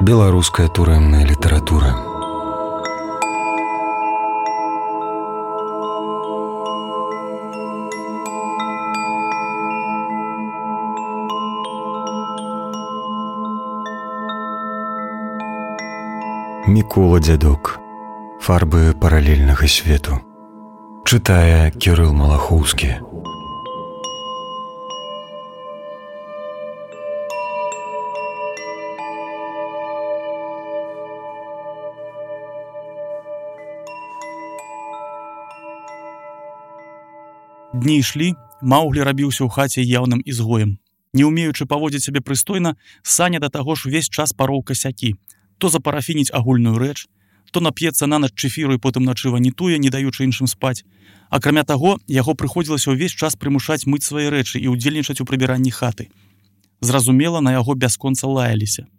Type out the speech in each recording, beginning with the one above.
Беларуская турэмная літаратура. Мікола Дзядок. Фарбы паралельнага свету. Чытае Кірыл Малахоўскі. Дні ішлі, Маўглі рабіўся ў хаце яўным ізгоем. Не ўмеючы паводзіць сябе прыстойна, Саня да таго ж увесь час пароў касякі. То запарафініць агульную рэч, то нап'ецца нанач чэфіру і потым начы ванітуе, не даючы іншым спаць. Акрамя таго, яго прыходзілася ўвесь час прымушаць мыць свае рэчы і ўдзельнічаць у прыбіранні хаты. Зразумела, на яго бясконца лаяліся.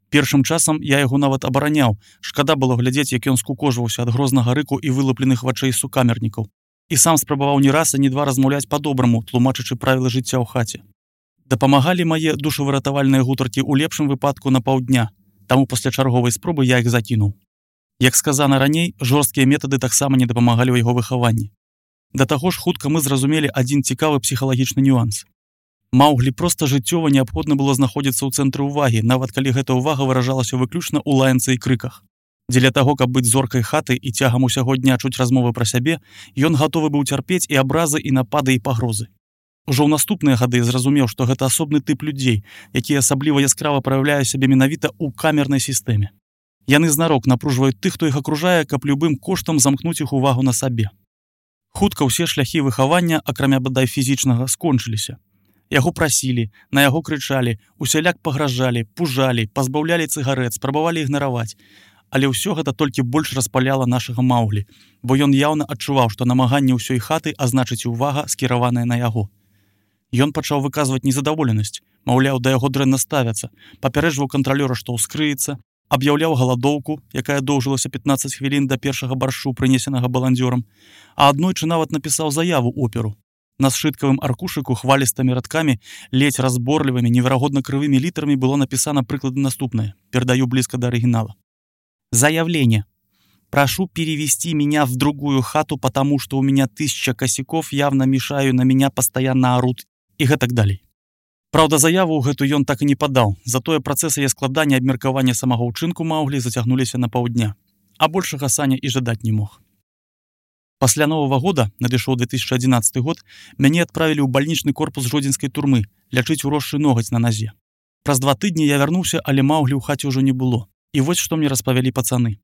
Першым часам я яго нават абараняў. Шкада было глядзець, як ён скукожваўся ад грознага рыку і вылупленых вачэй сукамернікаў. І сам спрабаваў ні раз, а ні два размаўляць па-добраму, тлумачачы правілы жыцця ў хаце. Дапамагалі мае душавыратавальныя гутаркі ў лепшым выпадку на паўдня, таму пасля чарговай спробы я іх закінуў. Як сказана раней, жорсткія метады таксама не дапамагалі ў яго выхаванні. Да таго ж хутка мы зразумелі адзін цікавы псіхалагічны нюанс. Маўглі проста жыццёва неабходна было знаходзіцца ў цэнтры ўвагі, нават калі гэта ўвага выражалася выключна ў лаянцы і крыках. Дзеля таго, каб быць зоркай хаты і цягам усяго дня чуць размовы пра сябе, ён гатовы быў цярпець і абразы, і напады, і пагрозы. Ужо ў наступныя гады зразумеў, што гэта асобны тып людзей, які асабліва яскрава праяўляе сябе менавіта ў камернай сістэме. Яны знарок напружваюць тых, хто іх акружае, каб любым коштам замкнуць іх увагу на сабе. Хутка ўсе шляхі выхавання, акрамя бадай фізічнага, скончыліся. Яго прасілі, на яго крычалі, усяляк пагражалі, пужалі, пазбаўлялі цыгарэт, спрабавалі ігнараваць. Але ўсё гэта толькі больш распаляла нашага Маўглі, бо ён яўна адчуваў, што намаганне ўсёй хаты, а значыць увага, скіраваная на яго. Ён пачаў выказваць незадаволенасць, маўляў, да яго дрэнна ставяцца, папярэджваў кантралёра, што ўскрыецца, аб'яўляў галадоўку, якая доўжылася 15 хвілін да першага баршу, прынесенага баландзёрам, а аднойчы нават напісаў заяву оперу. На сшыткавым аркушыку хвалістымі радкамі, ледзь разборлівымі, неверагодна крывымі літарамі было напісана прыкладна наступнае, перадаю блізка да арыгінала. Заявление. Прошу перевести меня в другую хату, потому что у меня 1000 косяков, явно мешаю, на меня постоянно орут и гэтак далей. Праўда, заяву гэту ён так і не падаў, затое працэсы яе складання і абмеркавання самага ўчынку Маўглі зацягнуліся на паўдня, а большага Саня і жадаць не мог. Пасля Новага года, надышоў 2011 год, мяне адправілі ў бальнічны корпус жодзінскай турмы, лячыць уросшы ногаць на назе. Праз 2 тыдні я вярнуўся, але Маўглі ў хаце ўжо не было. І вось што мне распавялі пацаны.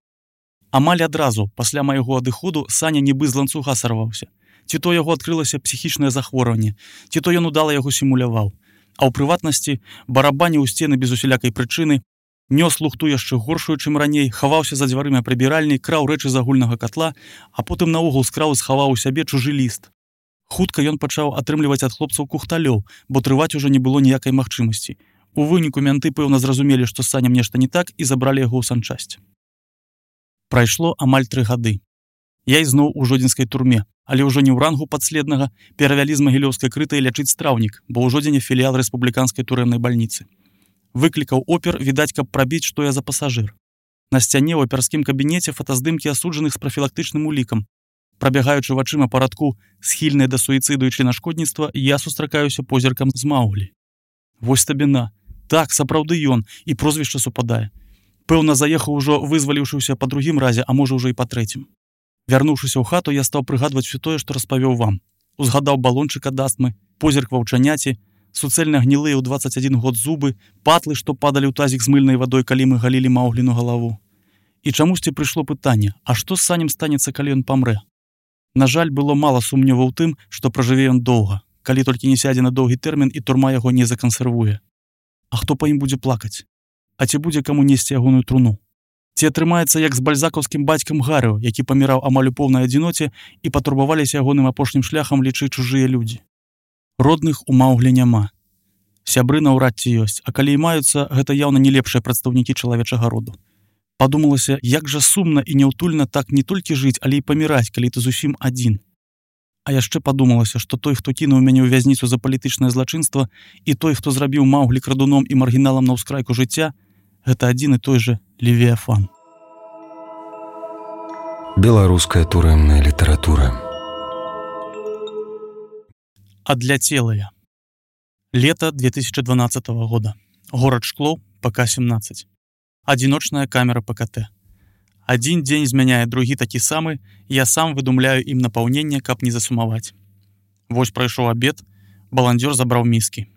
Амаль адразу, пасля майго адыходу, Саня нібы з ланцуга сарваўся. Ці то яго адкрылася псіхічнае захворванне, ці то ён удала яго сімуляваў. А ў прыватнасці барабаніў у сцены без усялякай прычыны, нёс лухту яшчэ горшую, чым раней, хаваўся за дзвярымі прыбіральні, краў рэчы з агульнага катла, а потым наогул скраў і схаваў у сябе чужы ліст. Хутка ён пачаў атрымліваць ад хлопцаў кухталёў, бо трываць ужо не было ніякай магчымасці. У выніку менты, пэўна, зразумелі, што з Санем нешта не так і забралі яго ў санчасць. Прайшло амаль 3 гады. Я ізноў у жодзінскай турме, але ўжо не ў рангу падследнага, перавялі з магілёўскай крытай лячыць страўнік, бо ў жодзіне філіял рэспубліканскай турэмнай бальніцы. Выклікаў опер, відаць, каб прабіць, што я за пасажыр. На сцяне ў оперскім кабінеце фотаздымкі асуджаных з прафілактычным улікам. Прабягаючы вачыма па радку схільныя да суіцыду і членашкодніцтва, я сустракаюся позіркам з Маўглі. Вось табіна. Так, сапраўды ён, і прозвішча супадае. Пэўна, заехаў ужо вызваліўшыся па другім разе, а можа ўжо і па трэцім. Вярнуўшыся ў хату, я стаў прыгадваць усё тое, што распавёў вам. Узгадаў балончык ад астмы, позірк ваўчаняці, суцэльна гнілыя ў 21 год зубы, патлы, што падалі ў тазік з мыльнай вадой, калі мы галілі Маўгліну галаву. І чамусьці прыйшло пытанне, а што з Санем станецца, калі ён памрэ? На жаль, было мала сумневаў у тым, што пражыве ён доўга, калі толькі не сядзе на доўгі тэрмін і турма яго не закансервуе. А хто па ім будзе плакаць? А ці будзе каму несці ягоную труну? Ці атрымаецца, як з бальзакаўскім бацькам Гарыо, які паміраў амаль у поўнай адзіноце і патурбаваліся ягоным апошнім шляхам лічыць чужыя людзі? Родных у Маўглі няма. Сябры наўрад ці ёсць, а калі і маюцца, гэта яўна не лепшыя прадстаўнікі чалавечага роду. Падумалася, як жа сумна і няўтульна так не толькі жыць, але і паміраць, калі ты зусім адзін. А яшчэ падумалася, што той, хто кінуў мяне ў вязніцу за палітычнае злачынства, і той, хто зрабіў Маўглі крадуном і маргіналам на ўскрайку жыцця, гэта адзін і той жа Левіафан. Беларуская турэмная літаратура. Адляцелыя. Лето 2012 года. Горад Шклоў, ПК-17. Адзіночная камера ПКТ. Адзін дзень змяняе другі такі самы, я сам выдумляю ім напаўненне, каб не засумаваць. Вось прайшоў абед, баландзёр забраў міскі.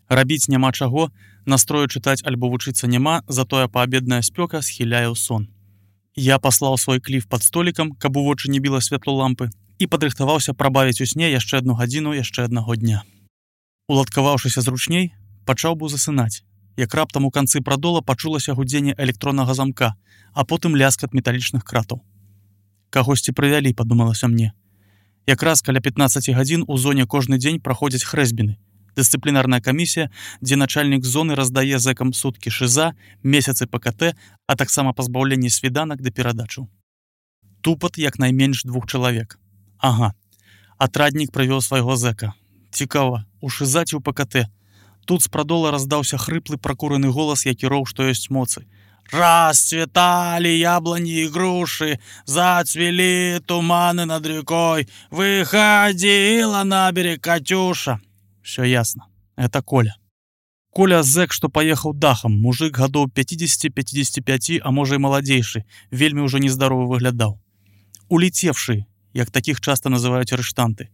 Рабіць няма чаго, настрою чытаць альбо вучыцца няма, затое паабедная спёка схіляе ў сон. Я паслаў свой кліф пад столікам, каб у вочы не біла святло лампы, і падрыхтаваўся прабавіць у сне яшчэ адну гадзіну яшчэ аднаго дня. Уладкаваўшыся зручней, пачаў быў засынаць, як раптам у канцы прадола пачулася гудзенне электроннага замка, а потым ляскат металічных кратаў. Кагосьці прывялі, падумалася мне. Якраз каля 15 гадзін у зоне кожны дзень праходзяць хрэсбіны, дысцыплінарная камісія, дзе начальнік зоны раздае зэкам суткі шыза, месяцы ПКТ, а таксама пазбаўленне свіданак да перадачаў. Тупат як найменш 2 чалавек. Ага, атраднік прывёў свайго зэка. Цікава, у шыза ці ў ПКТ. Тут з прадола раздаўся хрыплы пракураны голас, які роў, што ёсць моцы. «Расцветали яблони и груши, зацвели туманы над рекой, выходила на берег Катюша». Все ясно. Это Коля. Коля зэк, што паехаў дахам, мужик гадоў 50-55, а можа і маладзейшы, вельмі ўжо нездаровы выглядаў. Улецевшы, як такіх часта называюць арыштанты.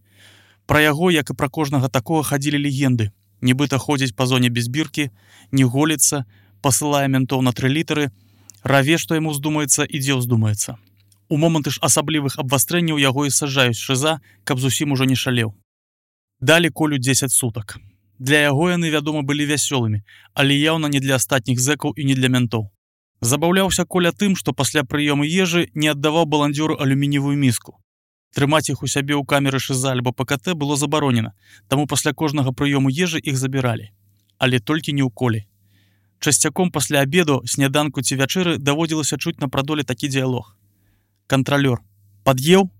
Пра яго, як і пра кожнага такога, хадзілі легенды. Нібыта ходзіць па зоне без біркі, не голіцца, пасылае ментоў на 3 літары, раве, што яму ўздумаецца і дзе ўздумаецца. У моманты ж асаблівых абвастрэнняў яго і саджаюць шыза, каб зусім ужо не шалеў. Далі Колю 10 сутак. Для яго яны, вядома, былі вясёлымі, але яўна не для астатніх зэкаў і не для ментоў. Забаўляўся Коля тым, што пасля прыёму ежы не аддаваў баландзёру алюмініевую міску. Трымаць іх у сябе ў камеры шыза альбо ПКТ было забаронена, таму пасля кожнага прыёму ежы іх забіралі. Але толькі не ў Колі. Часцяком пасля абеду, сняданку ці вячэры даводзілася чуць на прадоле такі дыялог. Кантралёр, пад'еў?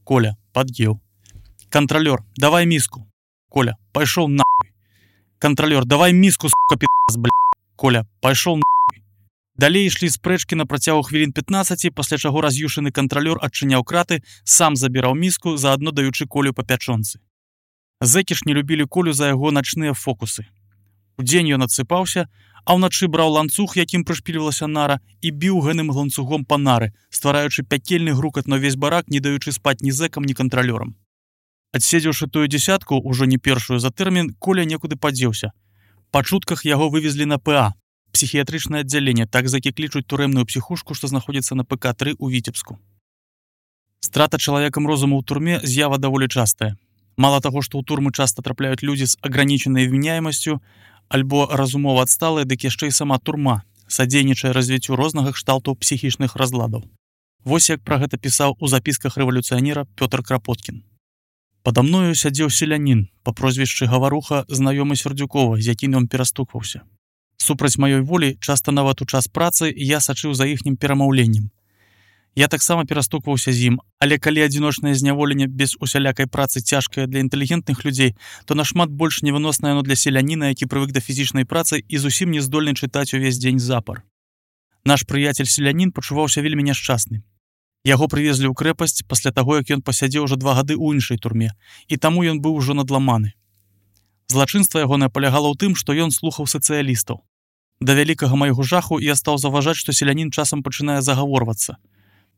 Коля, пад'еў. Кантралёр, давай міску. Коля, пайшоў нахуй. Кантралёр, давай міску, сука, пи***ц, блядь. Коля, пайшоў нахуй. Далей ішлі спрэчкі на працягу хвілін 15, пасля чаго раз'юшаны кантралёр адчыняў краты, сам забіраў міску, заадно даючы Колю па пячонцы. Зэкі ж не любілі Колю за яго начныя фокусы. Удзень ён адсыпаўся, а ўначы браў ланцуг, якім прышпільвалася нара, і біў гэным ланцугом па нары, ствараючы пякельны грукат на ўвесь барак, не даючы спаць ні зэкам, ні кантралёрам. Адседзеўшы тую дзясятку, ужо не першую за тэрмін, Коля некуды падзеўся. Па чутках яго вывезлі на ПА, псіхіятрычнае аддзяленне, так зэкі клічуць турэмную псіхушку, што знаходзіцца на ПК-3 у Віцебску. Страта чалавекам розуму ў турме з'ява даволі частая. Мала таго, што ў турмы часта трапляюць людзі з агранічанай вменяемасцю, альбо разумова адсталая, дык яшчэ і сама турма, садзейнічае развіццю рознага кшталтаў псіхічных разладаў. Вось як пра гэта пісаў у запісках рэвалюцыянера Пётр Крапоткін. Пада мною сядзеў селянін, па прозвішчы Гаваруха, знаёмы Сердюкова, з якім ён перастукваўся. Супраць маёй волі, часта нават у час працы, я сачыў за іхнім перамаўленнем. Я таксама перастукваўся з ім, але калі адзіночнае зняволенне без усялякай працы цяжкае для інтэлігентных людзей, то нашмат больш невыноснае яно для селяніна, які прывык да фізічнай працы і зусім не здольны чытаць увесь дзень запар. Наш прыяцель-селянін пачуваўся вельмі няшчасны. Яго прывезлі ў крэпасць пасля таго, як ён пасядзеў ужо 2 гады ў іншай турме, і таму ён быў ужо надламаны. Злачынства ягонае палягала ў тым, што ён слухаў сацыялістаў. Да вялікага майго жаху я стаў заўважаць, што селянін часам пачынае загаворвацца.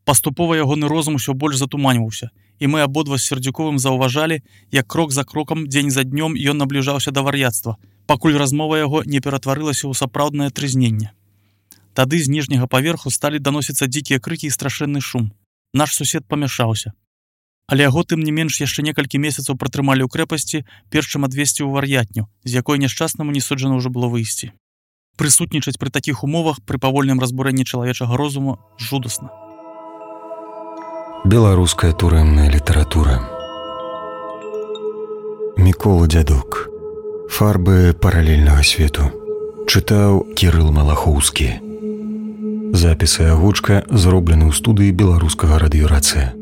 Паступова ягоны розум усё больш затуманьваўся, і мы абодва з Сердюковым заўважалі, як крок за крокам, дзень за днём ён набліжаўся да вар'яцтва, пакуль размова яго не ператварылася ў сапраўднае трызненне. Тады з ніжняга паверху сталі даносіцца дзікія крыкі і страшэнны шум. Наш сусед памяшаўся. Але яго тым не менш яшчэ некалькі месяцаў пратрымалі ў крэпасці, перш чым адвесці ў вар'ятню, з якой няшчаснаму не суджана ўжо было выйсці. Прысутнічаць пры такіх умовах пры павольным разбурэнні чалавечага розуму жудасна. Беларуская турэмная літаратура. Мікола Дзядок. Фарбы паралельнага свету. Чытаў Кірыл Малахоўскі. Запісы агучка зроблены ў студыі беларускага радыёрацыя.